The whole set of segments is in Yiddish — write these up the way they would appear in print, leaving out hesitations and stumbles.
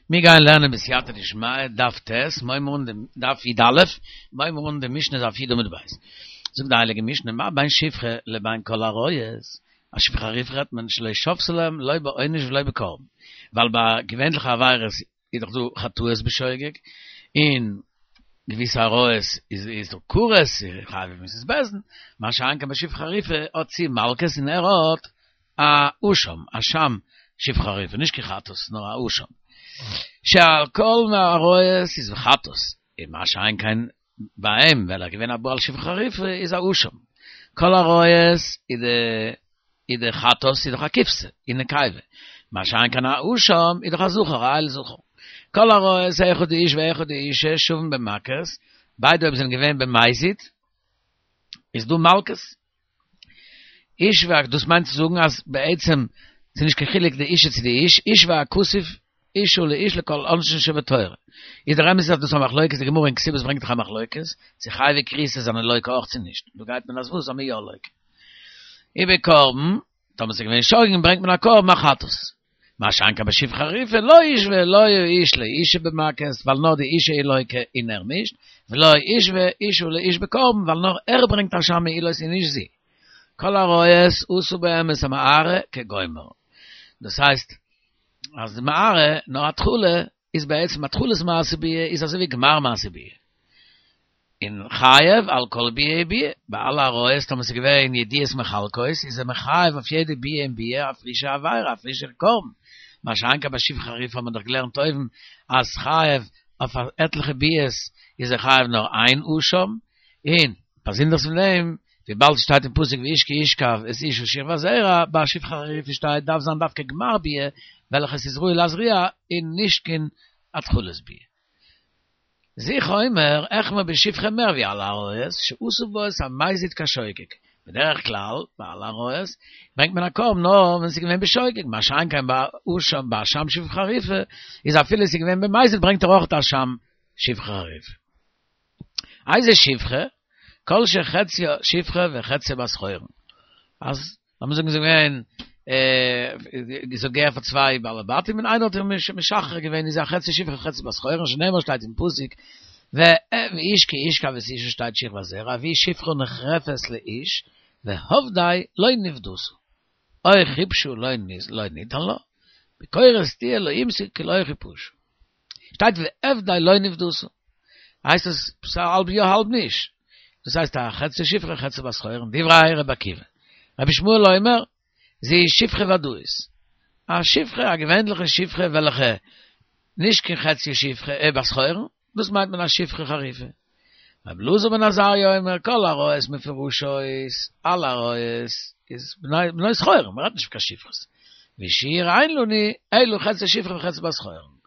מיר גייען לערנען בסייעתא דשמיא, דף ט', מ'הייבן אן דעם דף י"א, מ'הייבן אן די משנה דף י' עמוד ב'. זאגט די הייליגע משנה, מה בין שפחה לבין כל העריות, א שפחה חריפה רעדט מען שלא שבתה להם לא בעונש ולא בקרבן, ווייל ביי געווענליכע עבירות איז דאך דא חטאות בשוגג, און געוויסע עריות איז איז דא כרת, חייב מיתת בית דין, מה שאין כן ביי שפחה חריפה האט זי מלקות און ער האט א אשם, אשם שפחה חריפה, נישט קיין חטאת, נאר א אשם. שעל כל העריות איז חטאת, און מה שאין כן ביי אים, ווייל ער איז געווען א בועל שפחה חריפה, איז א אשם. כל העריות איז די איז די חטאת איז דאך א כבשה, און נקבה. מה שאין כן א אשם איז דאך א זכר, א איל זכר. כל העריות אחד האיש ואחד האישה שווים במכות, ביידע אויב זענען געווען במזיד, איז דא מלקות. איש וה, דאס מיינט צו זאגן אז בעצם ס'איז נישט קיין חילוק די אישה צו די איש, איש והכתוב אשה לאיש לכל עונשין שבתורה. איז דער אמת איז אז דאס איז א מחלוקת, די גמרא אין כתובות ברענגט דאך א מחלוקת, צו חייבי כריתות זענען לוקה אויך צו נישט. דא גייט מען אז וואס? אז מ'איז יא לוקה. ובקרבן, טאמער ס'איז געווען שוגג ברענגט מען א קרבן א חטאת. מה שאין כן בשפחה חריפה לא ישווה לא האיש לאישה במכות, ווייל נאר די אישה איז לוקה און ער נישט, ולא ישווה אישה לאיש בקרבן, ווייל נאר ער ברענגט אשם מעילות און נישט זי. כל העריות עשה בהם את המערה כגומר. דאס הייסט אז די מערה, נאר התחלה, איז בעצם התחלת מעשה ביאה איז אזוי ווי גמר מעשה ביאה. און חייב על כל ביאה וביאה, ביי אלע עריות טאמער ס'איז געווען ידיעות מחלקות איז ער מחייב אויף יעדע ביאה און ביאה א פרישע עבירה א פרישע קרבן, מה שאין כן ביי שפחה חריפה האט מען דאך געלערנט אויבן אז חייב אויף עטליכע ביאות איז ער חייב נאר איין אשם, און באזונדערס פון דעם וויבאלד ס'שטייט אין פסוק ואיש כי ישכב את אשה שכבת זרע, ביי שפחה חריפה שטייט דארף זיין דווקא גמר ביאה וועלכעס איז ראוי להזריע און נישט קיין התחלת ביאה. זיכער אומר, אחמיר בשפחה מער ווי אלע עריות, שעשו בה את המזיד כשוגג. בדרך כלל, ביי אלע עריות, ברענגט מען א קרבן נאר ווען ס'איז געווען בשוגג, מה שאין כן ביי אשם, ביי אשם שפחה חריפה, איז אפילו ס'איז געווען במזיד ברענגט ער אויך אשם שפחה חריפה. איזה שפחה? כל שחציה שפחה וחציה בת חורין. אז לאמיר זאגן זי איז געווען זי האט געהערט פאר צוויי בעלי בתים און איינער האט איר משחרר געווען איז א חצי שפחה חצי בת חורין שנאמר שטייט אין פסוק ואיש כי ישכב את אשה שטייט שכבת זרע והיא שפחה נחרפת לאיש והפדי לא נפדתה או כבשה לא ניתן לה ביקורת תהיה לא ימסור כי לא כפשה שטייט והפדי לא נפדתה. הייסט עס ס'איז האלב יא האלב נישט. דאס הייסט א חצי שפחה חצי בת חורין, דברי רבי עקיבא. רבי ישמעאל אומר, זי איז שפחה ודאית. א שפחה, א געווענליכע שפחה וועלכע נישט קיין חצי שפחה בת חורין, דאס מיינט מען א שפחה חריפה. רבי אלעזר בן עזריה אומר, כל עריות מפורשות, אלע עריות איז בנות חורין, מען רעדט נישט פון קיין שפחות. ושיעור אין לנו אלא חצי שפחה וחצי בת חורין.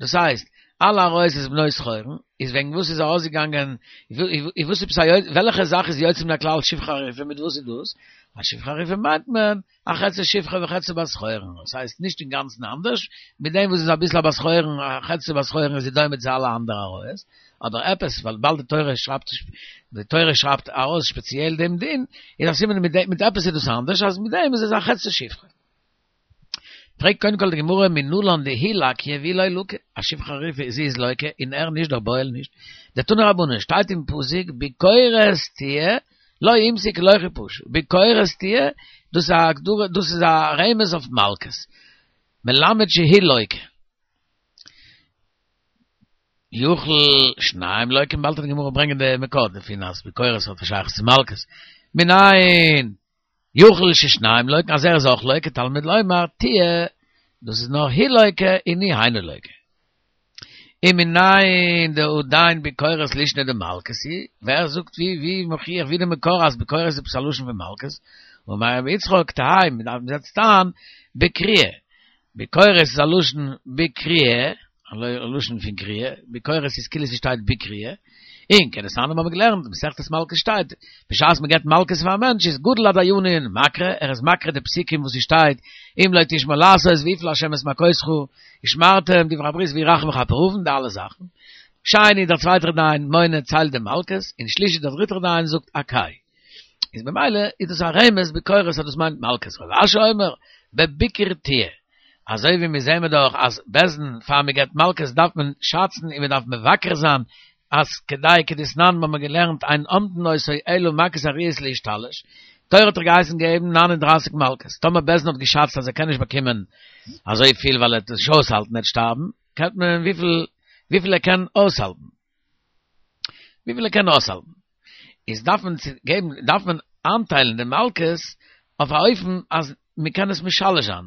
דאס הייסט, אלע עריות איז בנות חורין, איז וועגן וואס איז ארויסגעגאנגען, וואס איז וועלכע זאך איז יוצא מן הכלל שפחה חריפה, מיט וואס איז דאס? א שפחה חריפה מיינט מען א חצי שפחה וחצי בת חורין, דאס הייסט נישט אינגאנצן אנדערש, מיט דעם וואס איז אביסל א בת חורין, א חצי בת חורין איז זי דומה צו אלע אנדערע עריות, אבער עפעס ווייל וויבאלד די תורה שרייבט די תורה שרייבט ארויס ספעציעל דעם דין, איז א סימן מיט מיט עפעס איז דאס אנדערש אז מיט דעם איז עס א חצי שפחה. פרעגט קודם כל די גמרא מנלן דהיא לקיא ואיהו לא לקי, א שפחה חריפה זי איז לוקה און ער נישט דער בועל נישט, דתנו רבנן שטייט אין פסוק ביקורת תהיה לא ימסו כי לא כפשה, ביקורת תהיה, דאס איז א הגדרה, דאס איז א רמז אויף מלקות, מלמד שהיא לוקה. יכול שניים לוקין, באלד וועט די גמרא ברענגען די מקור דערפון אז ביקורת האט א שייכות צו מלקות. מנין יכול ששניים לוקין אז ער איז אויך לוקה, תלמוד לומר תהיה, דאס איז נאר היא לוקה און נישט היינו לוקה. ומנין דעדיין ביקורת לישנא דמלקות היא, ווער זאגט ווי ווי מוכיח ווי די מקור אז ביקורת איז עפעס א לשון פון מלקות, אמר רבי יצחק תהא מען דארף מ'זעצט אן בקריאה, ביקורת איז א לשון בקריאה, א לשון פון קריאה, ביקורת איז כאילו ס'שטייט בקריאה, און כדתניא האבן מיר געלערנט, מסכת מלקות שטייט, בשעת מ'געבט מלקות פאר א מענטש איז גדול הדיינין מקריא, ער איז מקריא די פסוקים וואס ס'שטייט, אם לא תשמע לעשות ויפל ה' את מכותך, ושמרתם דברי הברית והוא רחום יכפר עון, די אלע זאכן. שני דער צווייטער דיין מונה ציילט די מלקות, און שלישי דער דריטער דיין זאגט הקהו. איז במילא איז דאס א רמז ביקורת אז דאס מיינט מלקות. רב אשי אומר, בביקור תהיה. אזוי ווי מיר זעהן מיר דאך אז בית דין פאר מען געבט מלקות דארף מען שאצן און מען דארף מבקר זיין אז כדי כדתנן האבן מיר געלערנט אין אומדין אותו אלא מכות הראויות להשתלש, תורה האט דאך געהייסן געבן 39 מלקות, טאמער בית דין האט געשאצט אז ער קען נישט באקומען אזוי פיל ווייל ער וועט עס נישט אויסהאלטן ער וועט שטארבן, געבט מען וויפיל וויפיל ער קען אויסהאלטן. וויפיל ער קען אויסהאלטן. איז דארף מען צו געבן דארף מען איינטיילן די מלקות אויף א אופן אז מען קען עס משלש זיין,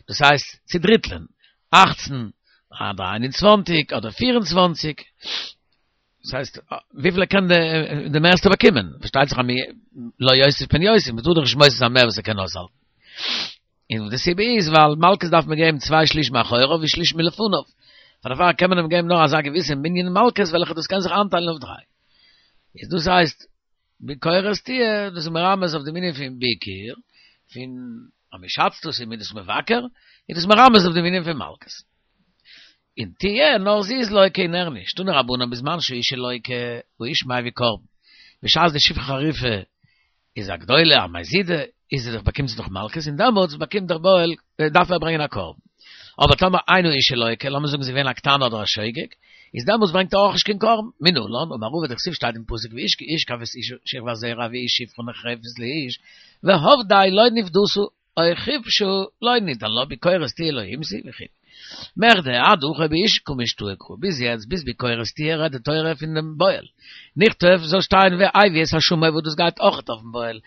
דאס הייסט צודריטלען, אכצן אדער איין און צוואנציג אדער פיר און צוואנציג, דאס הייסט וויפיל ער קען די מערסטע באקומען, פארשטייט זיך אז לא יוסיף פן יוסיף, מען טאר דאך נישט מוסיף זיין מער וואס ער קען אויסהאלטן. און די סיבה איז ווייל מלקות דארף מען געבן צוויי שליש מאחוריו ושליש מלפניו, פאר דערפאר קען מען אים געבן נאר אזא געוויסע מנין מלקות וועלכע דאס קען זיך איינטיילן אויף דריי. איז דאס הייסט ביקורת תהיה, דאס איז מרמז אויף דעם ענין פון ביקור, פון אז מען שאצט דאס און מען איז דאס מבקר, איז דאס מרמז אויף דעם ענין פון מלקות. און תהיה, נאר זי איז לוקה און ער נישט, תנו רבנן בזמן שהאשה לוקה, האיש מביא קרבן, בשעת די שפחה חרופה איז א גדולה, א מזידה, איז זי דאך באקומט זי דאך מלקות, און דעמאלטס באקומט דער בועל, דארף ער ברענגען א קרבן. אבער טאמער אין האשה לוקה, לאמיר זאגן זי איז געווען א קטנה אדער א שוגג, איז דעמאלטס ברענגט ער אויך נישט קיין קרבן. מנלן, אמר רבא דכתיב שטייט אין פסוק ואיש כי ישכב את שכבת זרע והיא שפחה נחרפת לאיש, והפדה לא נפדתה, או כבשה לא ניתן לה ביקורת תהיה לא המזי וכו'. מכדי עד הכא באיש קא משתעי קרא, ביז יעצט ביז ביקורת תהיה רעדט די תורה פון דעם בועל. נכתוב זאל שטיין והביא את אשמו וואס דאס גייט אויכעט אויפן בועל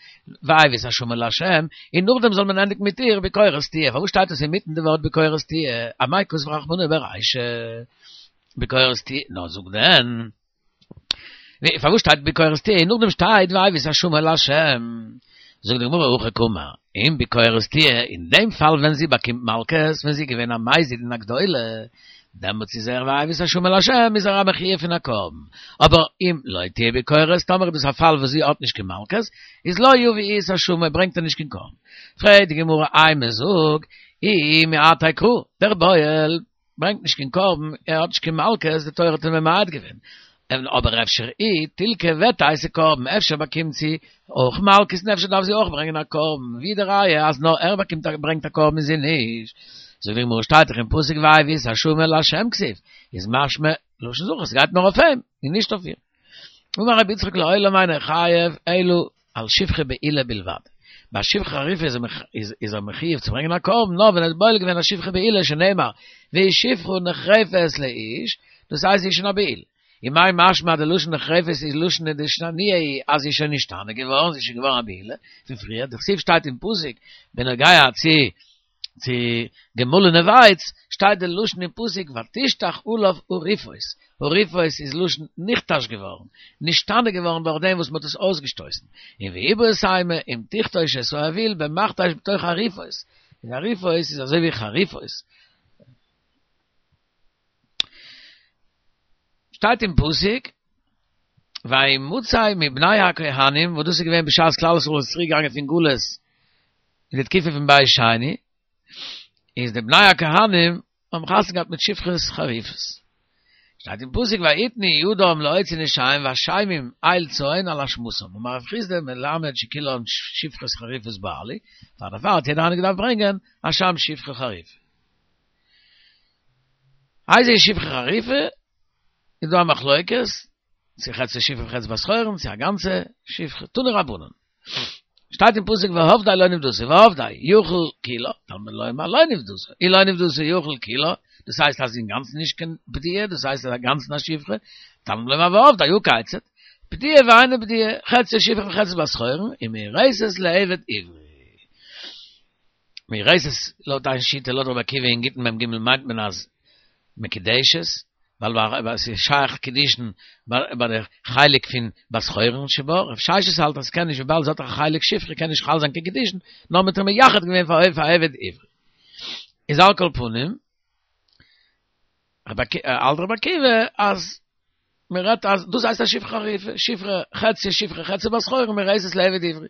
והביא את אשמו לה' און נאכדעם זאל מען ענדיגן מיט איר ביקורת תהיה פארוואס שטייט עס אינמיטן די ווארט ביקורת תהיה אמאי כתב רחמנא ברישא ביקורת תהיה נאר זאג דען פארוואס שטייט ביקורת תהיה און נאכדעם שטייט והביא את אשמו לה'? זאגט די גמרא הכי קאמר, אם ביקורת תהיה, אין דעם פאל ווען זי באקומט מלקות, ווען זי איז געווען א מזיד און א גדולה, דעמאלטס איז ער והביא את אשמו לה' איז ער א מחויב פון א קרבן, אבער אם לא תהיה ביקורת, טאמער איז דאס א פאל וואס זי האט נישט קיין מלקות, איז לא יביא את אשמו, ברענגט ער נישט קיין קרבן. פרעגט די גמרא אימא זאג, איהו מעתיה קרא, דער בועל, ברענגט נישט קיין קרבן, ער האט נישט קיין מלקות, די תורה האט אים ממעט געווען. אבער אפשר היא תילקי ותיתי קרבן, אפשר באקומט זי אויך מלקות און אפשר דארף זי אויך ברענגען א קרבן, ווי די ראיה אז נאר ער באקומט א ברענגט א קרבן און זי נישט? זאגט די גמרא שטייט דאך אין פסוק והביא את אשמו לה' כתיב, איז משמע לשון זכר ס'גייט נאר אויף אים און נישט אויף איר. אמר רבי יצחק לעולם אינו חייב אלא על שפחה בעילה בלבד. ביי שפחה חרופה איז ער מחויב צו ברענגען א קרבן נאר ווען ער האט בועל געווען א שפחה בעילה שנאמר והיא שפחה נחרפת לאיש, דאס הייסט זי איז שוין א בעילה. ומאי משמע אז די לשון נחרפת איז לישנא דאישתנויי היא אז זי איז שוין נשתנה געווארן, זי איז שוין געווארן א בעילה פון פריער, דכתיב שטייט אין פסוק בנוגע צו צו געמאלענע ווייץ, שטייט די לשון אין פסוק ותשטח עליו הריפות, הריפות איז לשון נכתש געווארן, נשתנה געווארן דורך דעם וואס מען האט עס אויסגעשטויסן, און ואיבעית אימא אם תכתוש את האוויל במכתש בתוך הריפות, און הריפות איז אזוי ווי חריפות. שטייט אין פסוק וימצא מבני הכהנים וואס דאס איז געווען בשעת כלל ישראל איז צוריק געגאנגען פון גלות אין די תקופה פון בית שני, איז די בני הכהנים האבן חתונה געהאט מיט שפחות חרופות. שטייט אין פסוק ויתנו ידם להוציא נשיהם ואשמים איל צאן על אשמתם, אמר רב חסדא מלמד שכולן שפחות חרופות בעלו, פאר דערפאר האט יעדער איינער געדארפט ברענגען אשם שפחה חרופה. איזוהי שפחה חרופה, איז דא א מחלוקת, צו חצי שפחה וחצי בת חורין, צו א גאנצע שפחה, תנו רבנן. שטייט אין פסוק והפדה לא נפדתה והפדה יוכל כולה תלמוד לומר לא נפדתה אי לא נפדתה יוכל כולה דאס הייסט אז אינגאנצן נישט קיין פדויה דאס הייסט אז אינגאנצן א שפחה תלמוד לומר והפדה הא כיצד פדויה ואינה פדויה חצי שפחה וחצי בת חורין ומאורסת לעבד עברי מאורסת לויט איין שיטה לויט רבי עקיבא אין גיטין מ"ג מיינט מען אז מקודשת, ווייל עס איז שייך קידושין ביי די חלק פון בת חורין שבה, רב ששת האלט אז ס'קען נישט וויבאלד זי האט א חלק שפחה קען נישט חל זיין קיין קידושין, נאר מ'האט איר מייחד געווען פאר א עבד עברי. איז על כל פנים, האלט רבי עקיבא אז מען רעדט אז דאס הייסט א שפחה חרופה, שפחה חצי שפחה חצי בת חורין מאורסת לעבד עברי.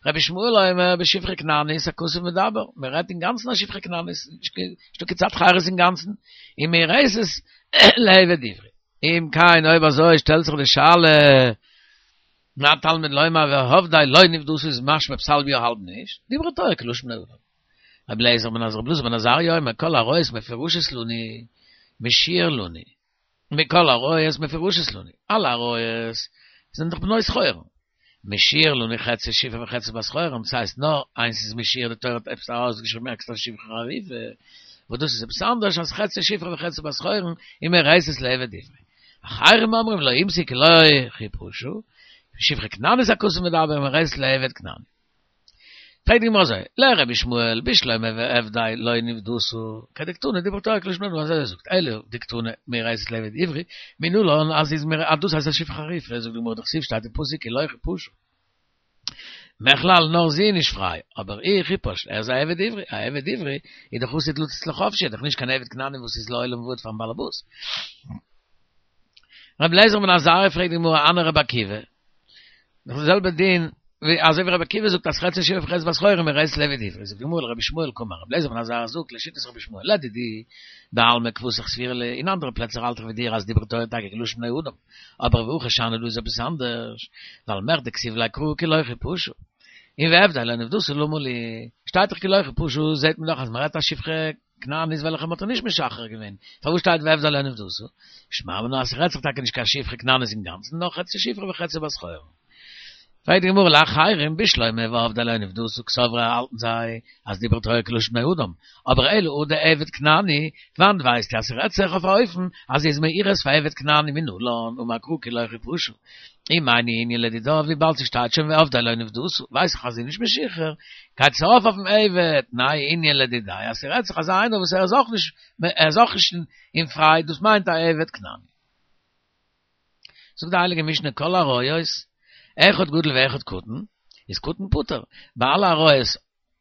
רבי ישמעאל אומר בשפחה כנענית הכתוב מדבר, מען רעדט אינגאנצן א שפחה כנענית, נישטא קיין צד חירות אינגאנצן, ומאורסת לעבד עברי. אם כן אויב אזוי שטעלט זיך די שאלה, מה תלמוד לומר והפדה לא נפדתה איז משמע פסל ביו האלב נישט, דברה תורה כלשון בני אדם. רבי אליעזר בן רבי אלעזר בן עזריה אומר כל עריות מפורשות לני משיר לני מכל עריות מפורשות לני אלע עריות זענען דאך בנות חורין משיר לני חצי שפחה וחצי בת חורין ס'הייסט נאר איינס איז משיר די תורה האט עפעס ארויסגעשריבן עקסטער שפחה חריפה וואס דאס איז עפעס אנדערש אז חצי שפחה וחצי בת חורין און מאורסת לעבד עברי. אחרים אומרים לא אימתי כי לא חיפשו שפחה כנענית הכתוב מדבר מאורסת לעבד כנעני. פרעגט די גמרא אזוי, לרבי ישמעאל בשלמא ועבדי לא נפדתו, כדקתני דברה תורה כלשון בני אדם אזוי ער זאגט, אלא דקתני מאורסת לעבד עברי, מנלן אז איז מיר אז דאס הייסט א שפחה חרופה, זאגט די גמרא דכתיב שטייט אין פסוק כי לא חפשו. מכלל נאר זי איז נישט פריי, אבער הוא חופש, ער איז א עבד עברי, א עבד עברי איז דאך עתיד לצאת לחופשי, איז דאך נישט קיין עבד כנעני וואס איז לעולם ועד פארן באלעבאס. רבי אליעזר בן עזריה פרעגט די גמרא הני רבי עקיבא, דאך די זעלבע דין ווי אזוי ווי רבי עקיבא זאגט אז חצי שפחה וחצי בת חורין מאורסת לעבד עברי, זאגט די גמרא לרבי ישמעאל קאמר, רבי אליעזר בן עזריה זאגט לשיטת רבי ישמעאל לדידי בעלמא כוותך סבירא לי, אין אנדערע פלעצער האלט איך ווי דיר אז דברה תורה טאקע כלשון בני אדם, אבער והכא שאני דא איז עפעס אנדערש, ווייל מכדי כתיב ליה קרא כי לא חפשה, און ועבדי לא נפדתו למה לי, שטייט דאך כי לא חפשה זעט מען דאך אז מען רעדט א שפחה כנענית וועלכע מ'האט איר נישט משחרר געווען, פארוואס שטייט ועבדי לא נפדתו? שמע מינה אז ס'רעדט זיך טאקע נישט קיין שפחה כנענית אינגאנצן, נאר חצי שפחה וחצי בת חורין. פרעגט די גמרא לאחרים בשלמא ועבדי לא נפדתו קסברי האלטן זיי אז דברה תורה כלשון בני אדם, אבער אלא הא דעבד כנעני, וואנעט ווייסטו אז ס'רעדט זיך אויף א אופן אז זי איז מאורס פאר עבד כנעני מנלן אמר קרא כי לא חפשה. ומאי ניהו לדידה וויבאלד ס'שטייט שוין ועבדי לא נפדתו ווייס איך אז זי איז נישט משוחרר, גייט עס ארויף אויפן עבד, ניהו נינהו לדידיה אז ס'רעדט זיך אזא איינער וואס ער איז אויך נישט ער איז אויך נישט אין פריי דאס מיינט א עבד כנעני. זאגט די הייליגע משנה כל עריות אחד גדול ואחד קטן איז קטן פטור, ביי אלע עריות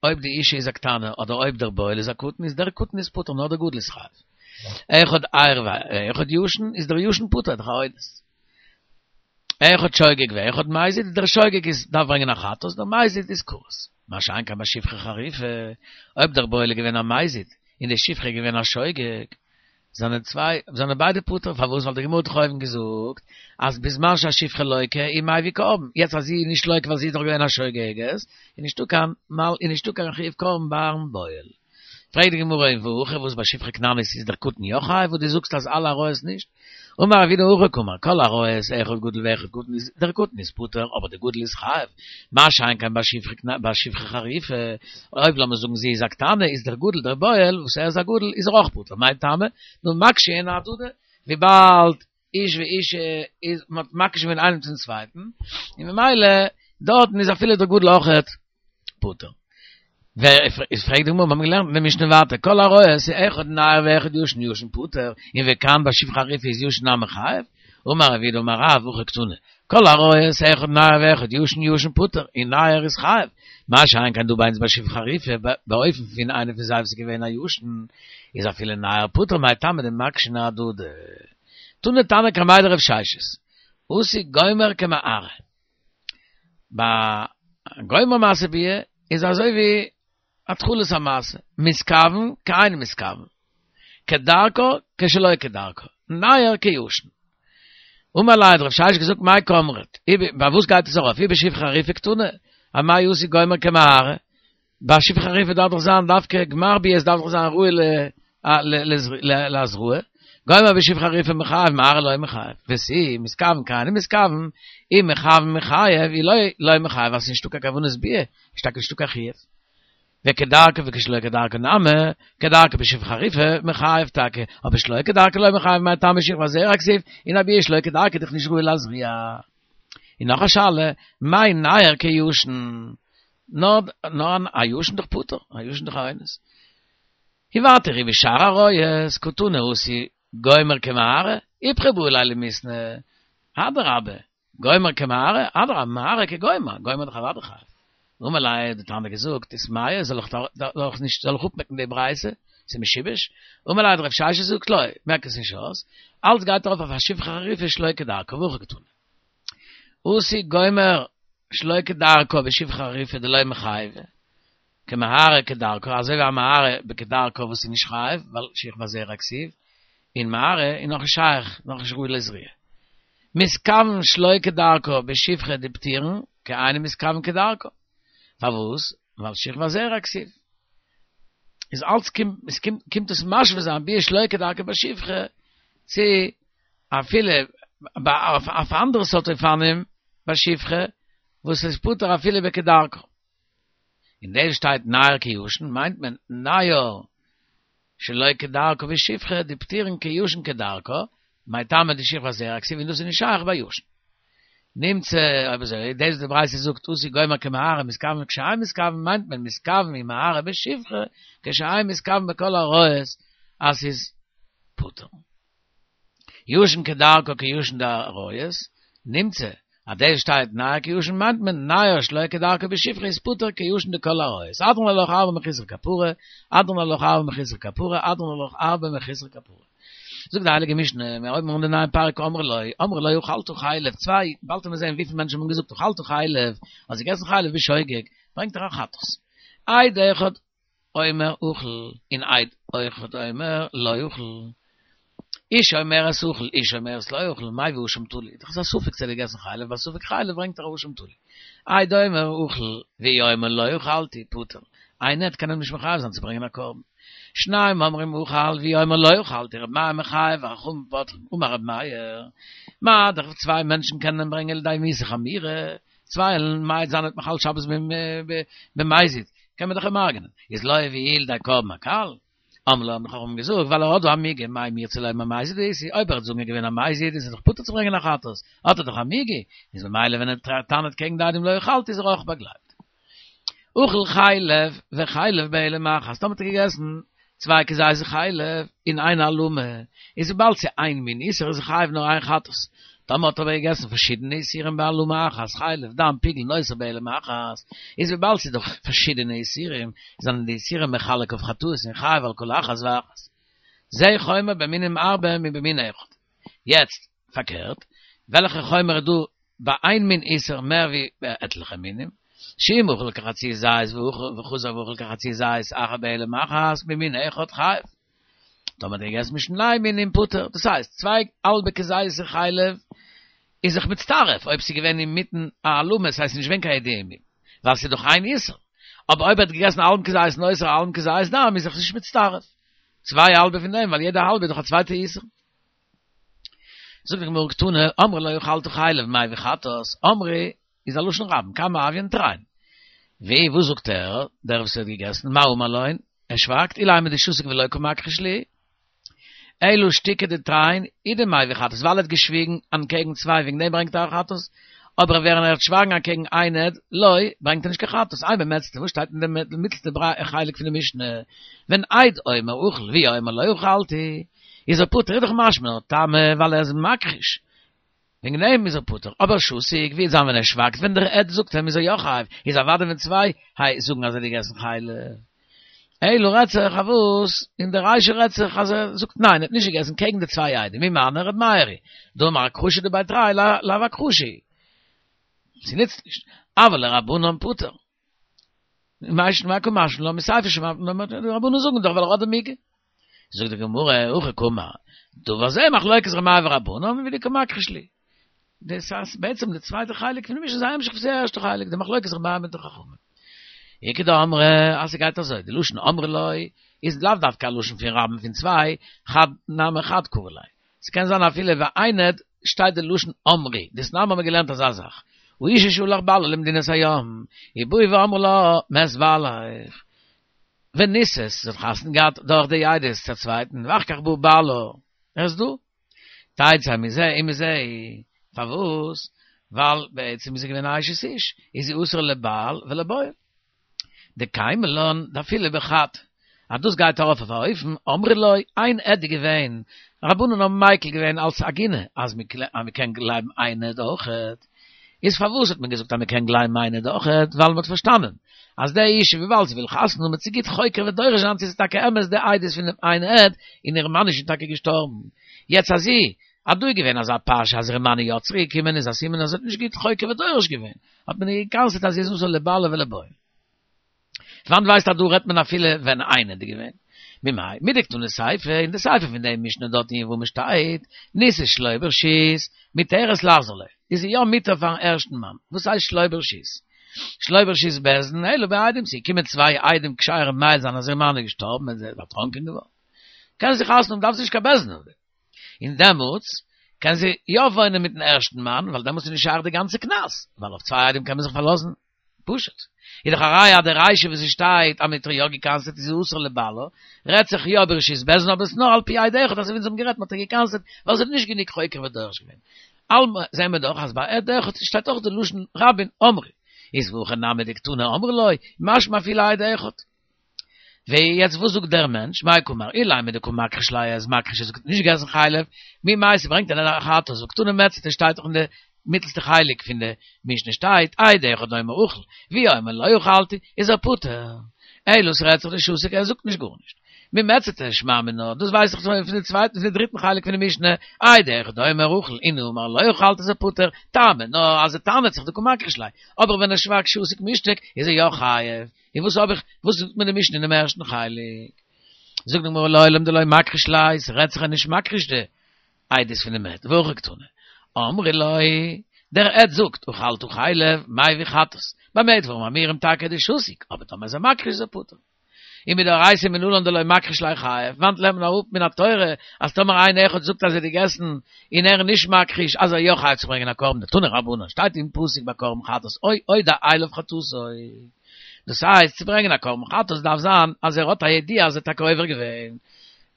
אויב די אישה איז א קטנה אדער אויב דער בועל איז א קטן איז דער קטן איז פטור נאר דער גדול איז חייב. אחד ער ואחד ישן איז דער ישן פטור דאך א אונס. אחד שוגג ואחד מזיד דער שוגג איז דארף ברענגען א חטאת דער מזיד איז כרת. מה שאין כן ביי שפחה חרופה אויב דער בועל איז געווען א מזיד און די שפחה איז געווען א שוגג זענען צוויי, זענען ביידע פטור, פארוואס? ווייל די גמרא האט דאך אויבן געזאגט אז בזמן שהשפחה לוקה איז מביא קרבן, יעצט אז זי איז נישט לוקה ווייל זי איז דאך געווען א שוגגת, איז נישטא קיין מל איז נישטא קיין חיוב קרבן ביים בועל. פרעגט די גמרא און והכא וואס ביי שפחה כנענית איז דער קטן יא חייב וואס דו זאגסט אז אלע עריות נישט? אמר רב יהודה הכי קאמר, כל עריות אחד גדול ואחד קטן איז דער קטן איז פטור אבער דער גדול איז חייב, מה שאין כן ביי שפחה חרופה, אויב לאמיר זאגן זי איז א קטנה איז דער גדול דער בועל וואס ער איז א גדול איז ער אויך פטור, מאי טעמא? דהא מקשין אהדדי, וויבאלד איש ואישה איז מען האט מקיש געווען איינעם צום צווייטן, און ממילא דארטן איז אפילו דער גדול אויכעט פטור. ווער איז פרעגט די גמרא, מיר האבן געלערנט אין די משנה ווייטער, כל עריות אחד נער ואחד ישן ישן פטור, און וכאן ביי שפחה חרופה איז ישן נמי חייב, אמר רב יהודה אמר רב הכי קתני, כל עריות אחד נער ואחד ישן ישן פטור, און נער איז חייב, מה שאין כן דא ביי אונז ביי שפחה חרופה, באופן פון איינער פון זיי וואס איז געווען א ישן, איז אפילו נער פטור, מאי טעמא דמקשין אהדדי. תני תנא קמיה דרב ששת, עשוי גומר כמערה. ביי גומר מעשה ביאה איז אזוי ווי התחלת המעשה, מתכוון כאינו מתכוון, כדרכה כשלא כדרכה, ניעור כישן. אמר ליה האט רב ששת געזאגט מאי קאמרת, ביי וואס גייט עס ארויף, אי בשפחה חרופה קתני, אמאי עשוי גומר כמערה, ביי שפחה חרופה דארף דאך זיין דווקא גמר ביאה, עס דארף דאך זיין ראוי להזרעה, גומר בשפחה חרופה מיחייב מערה לא מיחייב, ותו, מתכוון כאינו מתכוון, אי מכוון מיחייב, אי לא לא מיחייב, ווייל ס'איז נישטא קיין כוונת ביאה, איז טאקע נישטא קיין חיוב. וכדרכה וכשלא כדרכה נמי, כדרכה בשפחה חרופה מיחייב טאקע, אבער שלא כדרכה לא מיחייב מאי טעמא שכבת זרע כתיב, און א ביאה שלא כדרכה איז דאך נישט ראוי להזריע. און נאך א שאלה, מאי ניעור כישן? נאר נאר א ישן דאך פטור, א ישן דאך א אונס. און ווייטער אי בשאר עריות, קתני עשוי גומר כמערה, איפכא בעי ליה למיתנא, אדרבה, גומר כמערה, אדרבה, מערה כגומר, גומר דאך אוודאי חייב. אמר ליה, האט די תנא געזאגט, איתמהה, זאל איך זאל איך נישט, זאל איך אפמעקן די ברייתא, ס'איז משובש. אמר ליה, האט רב ששת געזאגט, לא, מעק עס נישט אויס, אלץ גייט ארויף אויף א שפחה חרופה שלא כדרכה, והכי קתני. עשוי גומר שלא כדרכה בשפחה חרופה דלא מיחייבא, כמערה כדרכה, אזוי ווי א מערה בכדרכה וואס איז נישט חייב, ווייל שכבת זרע כתיב, און מערה איז נאכנישט שייך, נאכנישט ראוי לזריעה. מתכוון שלא כדרכה בשפחה דפטירין, כאינו מתכוון כדרכה. פארוואס? ווייל שכבת זרע כתיב. איז אלץ קומט עס קומט קומט עס משווה זיין ביאה שלא כדרכה בשפחה צו אפילו אויף אנדערע סארט אופנים בשפחה וואס איז פטור אפילו בכדרכה. אין דעם שטייט נייר כישן מיינט מען נייר שלא כדרכה בשפחה דפטירין כישן כדרכה, מאי טעמא דשכבת זרע כתיב און דאס איז נישט שייך ביי ישן. נמצא אויב אזוי דאס וואס די ברייתא זאגט עשוי גומר כמערה מתכוון כשאין מתכוון מיינט מען מתכוון אין מערה בשפחה כשאין מתכוון בכל העריות אז ס'איז פטור. ישן כדרכה כישן דעריות, נמצא אז דאס שטייט נייר כישן מיינט מען נייר שלא כדרכה בשפחה איז פטור כישן דכל העריות, הדרן עלך הרבה מחוסר כפרה, הדרן עלך הרבה מחוסר כפרה, הדרן עלך הרבה מחוסר כפרה. זאגט די הייליגע משנה, מיר הויבן אן די נייע פרק אמרו לו, אמרו לו אכלת חלב, צוויי, באלד וועט מען זען וויפיל מענטשן האבן געזאגט אכלת חלב, האסט געגעסן חלב בשוגג, ברענגט ער א חטאת. עד אחד אומר אכל, און עד אחד אומר לא אכל. אשה אומרת אכל, אשה אומרת לא אכל, מביא אשם תלוי. דאך איז א ספק צו ער האט געגעסן חלב, ביי ספק חלב ברענגט ער א אשם תלוי. עד אומר אכל, והיא אומרת לא אכלתי, פטור. איין עד קען אים נישט מחייב זיין צו ברענגען א קרבן. שניים אומרים אכל, והיא אומרת לא אכלתי, ר' מאיר מחייב, וחכמים פוטרים. אמר ר' מאיר, מה דאך צוויי מענטשן קענען ברענגען לידי מיתה חמורה, צוויי וועלן מעיד זיין האט מחלל שבת במזיד, קען מען דאך אים הרג'נען, איז לא הביאוהו לידי קרבן הקל? אמרו לו האבן די חכמים געזאגט, ווייל ער האט דא א מיגו, מה אם ירצה לומר מזיד הייתי, אויב ער וועט זאגן ער איז געווען א מזיד איז ער דאך פטור צו ברענגען א חטאת, האט ער דאך א מיגו, איז ממילא ווען ער טענה'ט קעגן די עדים לא אכלתי איז ער אויך באגלייבט. אכל חלב וחלב בהעלם אחת, טאמער האט ער געגעסן צוויי כזית חלב אין איין העלמה, איז וויבאלד ס'איז איין מין איסור איז ער חייב נאר איין חטאת, טאמער האט ער אבער געגעסן פארשידענע איסורים בהעלמה אחת, חלב, דם, פיגול, נותר בהעלם אחת, איז וויבאלד ס'איז דאך פארשידענע איסורים, זענען די איסורים מחלק אויף חטאות און חייב על כל אחת ואחת. זה חומר במינים הרבה מבמין אחד. יעצט, פארקערט, וועלכע חומר איז דא ביי איין מין איסור מער ווי ביי עטליכע מינים? שאם אכל כחצי זית וחזר ואכל כחצי זית אחר בהעלם אחת ממין אחד חייב. טאמער האט ער געגעסן משני מינים פטור, דאס הייסט צוויי האלבע כזית חלב איז זיך מצטרף אויב ס'איז געווען אינמיטן א העלמה, ס'הייסט נישט געווען קיין ידיעה ווייל ס'איז דאך איין איסור, אבער אויב ער האט געגעסן א האלבן כזית נותר א האלבן כזית דם איז זיך נישט מצטרף צוויי האלבע פון דעם ווייל יעדע האלבע איז דאך א צווייטע איסור. זאגט די גמרא קתני אמרו לו אכלת חלב מביא חטאת אמרו איז א לשון רבים כמה הויין תרין ווי וואס זאגט ער דער וואס האט געגעסן מה אמר להון ער שווייגט אילימא דשתיק ולא קא מכחיש להו אלא שתיקה דתרין הוא דמביא חטאת ווייל ער האט געשוויגן אנטקעגן צוויי וועגן דעם ברענגט ער א חטאת אבער ווען ער וועט שווייגן אנטקעגן איין עד לא ברענגט ער נישט קיין חטאת אימא במעצתא וואס שטייט אין די מיטלסטע חלק פון די משנה ווען עד אומר אכל והוא אומר לא אכלתי איז ער פטור איז דאך משמע טעמא ווייל ער איז מכחיש וועגן דעם איז ער פטור, אבער שתיק ווי וועט זיין ווען ער שווייגט ווען דער עד זאגט אים איז ער יא חייב, איז אוודאי ווען צוויי היי זאגן אז ער האט געגעסן חלב. אלא רעדט זיך אויף וואס, אין די רישא רעדט זיך אז ער זאגט ניין ער האט נישט געגעסן קעגן די צוויי עדים, ומי מני ר' מאיר היא, דאמר הכחשה דבי תרי לאו הכחשה היא. ס'נוצט נישט. אבל לרבנן פטור. מאי שנא קא משמע לן מסיפא שמעת מינה די רבנן זאגן דאך ווייל ער האט די מיגו. זאגט די גמרא, הכי קאמר, דבר זה מחלוקת ר' מאיר ורבנן ודקא מכחיש להו. דאס הייסט בעצם די צווייטע חלק פון די משנה איז א המשך פון די ערשטע חלק, די מחלוקת ר' מאיר מיט די חכמים. איכא דאמרי אז ס'גייט אזוי, די לשון אמרו לו איז לאו דווקא א לשון פון רבים פון צוויי, חד נמי חד קרי ליה. ס'קען זיין אפילו ביי איין עד שטייט די לשון אמרו, דתנן האבן מיר געלערנט אזא זאך, האשה שהלך בעלה למדינת הים, ובאו ואמרו לה מת בעליך, ונישאת, זי האט חתונה געהאט דורך די עדות צו א צווייטן, ואחר כך בא בעלה, ער איז דא. תצא מזה ומזה, פארוואס? ווייל בעצם איז זי געווען א אשת איש, איז זי אסור לבעל ולבועל. דקיימא לן דאפילו בחד, אז דאס גייט ארויף אויף א אופן, אמרו לו, איין עד איז געווען, רבנן האבן מיקל געווען אלס עגונה, אז מען קען גלייבן איין עד אויכעט, איז פארוואס האט מען געזאגט אז מען קען גלייבן איין עד אויכעט, ווייל מען האט פארשטאנען אז די אישה וויבאלד זי וויל חתונה האבן וועט זי גוט חוקר ודורש זיין צו עס איז טאקע אמת די עדות פון דעם איין עד, און איר מאן איז שוין טאקע געשטארבן, יעצט אז זי אז דא איז געווען אזא פרשה אז איר מאן איז יא צוריק געקומען איז א סימן אז זי האט נישט גוט חוקר ודורש געווען, האט מען איר גע'קנס'עט אז זי איז אסור לבעלה ולבועל. וואנעט ווייסט אז דא רעדט מען אפילו ווען איין עד איז געווען? ממאי? מדקתני סיפא, אין די סיפא פון די משנה דארט אין יבמות שטייט, נישאת שלא ברשות, מותרת לחזור לו, איז זי יא מותר פארן ערשטן מאן, וואס הייסט שלא ברשות? שלא ברשות בית דין אלא בעדים, ס'געקומען צוויי עדים כשרים מעיד זיין אז איר מאן איז געשטארבן און זי איז דערטראנקען געווארן, קען זי חתונה האבן דארף זי נישט קיין בית דין אויף דעם. און דעמאלטס קען זי יא וואוינען מיטן ערשטן מאן, ווייל דעמאלטס איז נישט שייך די גאנצע קנס, ווייל אויף צוויי עדים קען מען זיך פארלאזן. פשוט. איז דאך א ראיה אז די רישא וואס עס שטייט אז מען האט איר יא געקנס'עט איז זי אסור לבעלה, רעדט זיך יא ברשות בית דין אבער עס איז נאר על פי עד אחד אזוי ווי אונז האבן גערעדט מען האט איר געקנס'עט ווייל זי האט נישט גענוג חוקר ודורש געווען. אלמא זעהן מיר דאך אז ביי עד אחד שטייט אויך די לשון רבים אמרו. איז והכא נמי דקתני אמרו לו, משמע אפילו עד אחד. ויעצט וואס זאגט דער מענטש? מאי קאמר אילימא דקא מכחיש ליה איז מכחיש ער זאגט נישט געגעסן חלב, ממאי ס'ברענגט ער א חטאת והא קתני מציעתא שטייט דאך אין די מיטלסטע חלק פון די משנה שטייט עד אחד אומר אכל והוא אומר לא אכלתי איז ער פטור אלא ס'רעדט זיך דשתיק ער זאגט נישט גארנישט ממציעתא שמע מינה דאס ווייס איך פון די צווייטן פון די דריטן חלק פון די משנה עד אחד אומר אכל און הוא אומר לא אכלתי איז ער פטור טעמא נאר אז ער טענה'ט זיך דקא מכחיש ליה אבער ווען ער שווייגט שתיק מישתק איז ער יא חייב. און וואס האב איך, וואס זאגט מיר די משנה אינעם ערשטן חלק? זאגט די גמרא לעולם דלא מכחיש ליה, ס'רעדט זיך ער איז נישט מכחיש די עדות פונעם עד, והכי קתני, אמרו לו, דער עד זאגט, אכלת חלב, מביא חטאת, במה דברים אמורים טאקע דשתיק, אבער טאמער איז ער מכחיש איז ער פטור. ומדאורייתא מנלן דלא מכחיש ליה חייב, וואנעט לערנט מען אראפ מן התורה אז טאמער איינער אחד זאגט אז ער האט געגעסן און ער איז נישט מכחיש אז ער יא חייב צו ברענגען א קרבן דתנו רבנן שטייט אין פסוק ביי קרבן חטאת או הודע אליו חטאתו דאס הייסט צו ברענגען א קרבן חטאת דארף זיין אז ער האט א ידיעה אז ער האט טאקע עובר געווען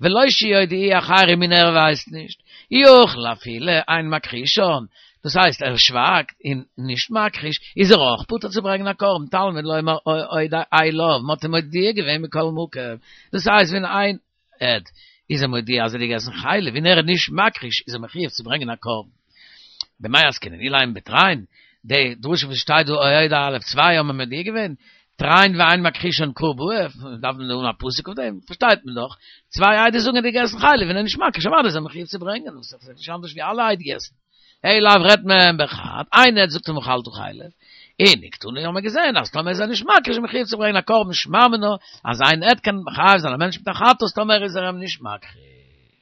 ולא שיודיעוהו אחרים און ער ווייסט נישט יכול אפילו אין מכחישן דאס הייסט ער שווייגט און נישט מכחיש איז ער אויך פטור צו ברענגען א קרבן תלמוד לומר הודע אליו מ'האט אים מודיע געווען מכל מקום דאס הייסט ווען איין עד איז ער מודיע אז ער האט געגעסן חלב און ער איז נישט מכחיש איז ער מחויב צו ברענגען א קרבן. במאי עסקינן אילימא בתרין, די דרשה וואס שטייט דא הודע אליו צוויי האבן מודיע געווען, תרין ואין מכחישן קרא בעי, דארף מען האבן א פסוק אויף דעם, פארשטייט מען דאך, צוויי עדות זאגן ער האט געגעסן חלב און ער איז נישט מכחיש אוודאי איז ער מחויב צו ברענגען, דאס איז נישט אנדערש ווי אלע עדות. אלא לאו רעדט מען בחד, איין עד זאגט אים אכלת חלב, און וקתני האבן מיר געזען אז טאמער איז ער נישט מכחיש איז מחויב צו ברענגען א קרבן שמע מינה אז איין עד קען מחייב זיין א מענטש מיט א חטאת טאמער איז ער אים נישט מכחיש.